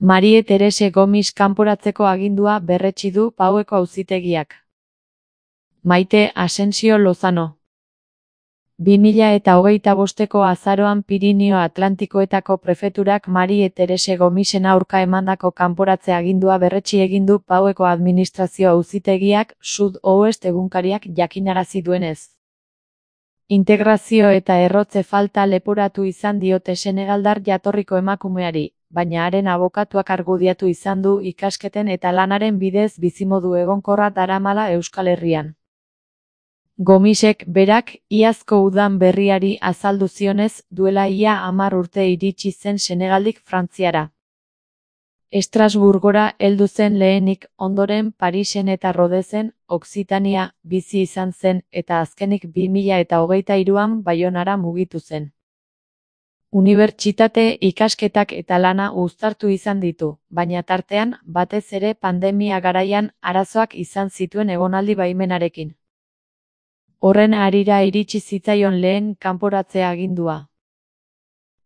Marie Terese Gomis kanporatzeko agindua berretsi du Paueko auzitegiak. Maite Asensio Lozano. 2025ko azaroan Pirinio Atlantikoetako prefeturak Marie Terese Gomisen aurka emandako kanporatze agindua berretsi egin du Paueko administrazio auzitegiak, Sud-Ouest egunkariak jakinarazi duenez. Integrazio eta errotze falta leporatu izan diote senegaldar jatorriko emakumeari, baina haren abokatuak argudiatu izan du ikasketen eta lanaren bidez bizimodu egonkorra daramala Euskal Herrian. Gomisek berak iazko udan berriari azaldu zionez, duela ia 10 urte iritsi zen Senegaldik Frantziara. Estrasburgora heldu zen lehenik, ondoren Parisen eta Rodesen, Okzitania, bizi izan zen eta azkenik 2023an Baionara mugitu zen. Unibertsitate ikasketak eta lana uztartu izan ditu, baina tartean, batez ere pandemia garaian, arazoak izan zituen egonaldi baimenarekin. Horren harira iritsi zitzaion lehen kanporatze agindua.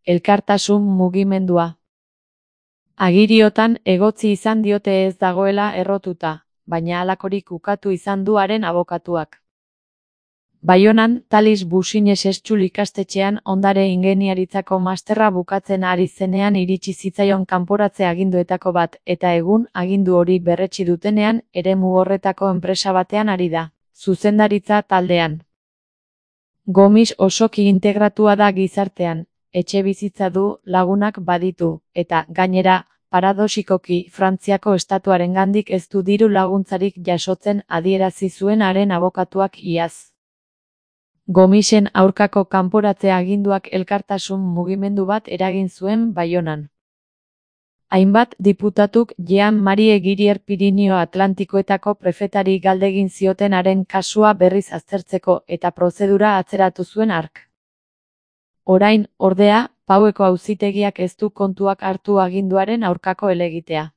Elkartasun mugimendua. Agiriotan egotzi izan diote ez dagoela errotuta, baina halakorik ukatu izan du haren abokatuak. Baionan, Talis Busines Estxul ikastetxean ondare ingeniaritzako masterra bukatzen ari zenean iritsi zitzaion kanporatze aginduetako bat, eta egun agindu hori berretsi dutenean, eremu horretako enpresa batean ari da, zuzendaritza taldean. Gomis osoki integratua da gizartean, etxebizitza du, lagunak baditu, eta, gainera, paradoxikoki, Frantziako estatuarengandik ez du diru laguntzarik jasotzen adierazi zuen haren abokatuak iaz. Gomisen aurkako kanporatze aginduak elkartasun mugimendu bat eragin zuen Baionan. Hainbat diputatuk Jean-Marie Girier Pirinio Atlantikoetako prefetari galdegin zioten haren kasua berriz aztertzeko eta prozedura atzeratu zuen hark. Orain, ordea, Paueko auzitegiak ez du kontuak hartu aginduaren aurkako helegitea.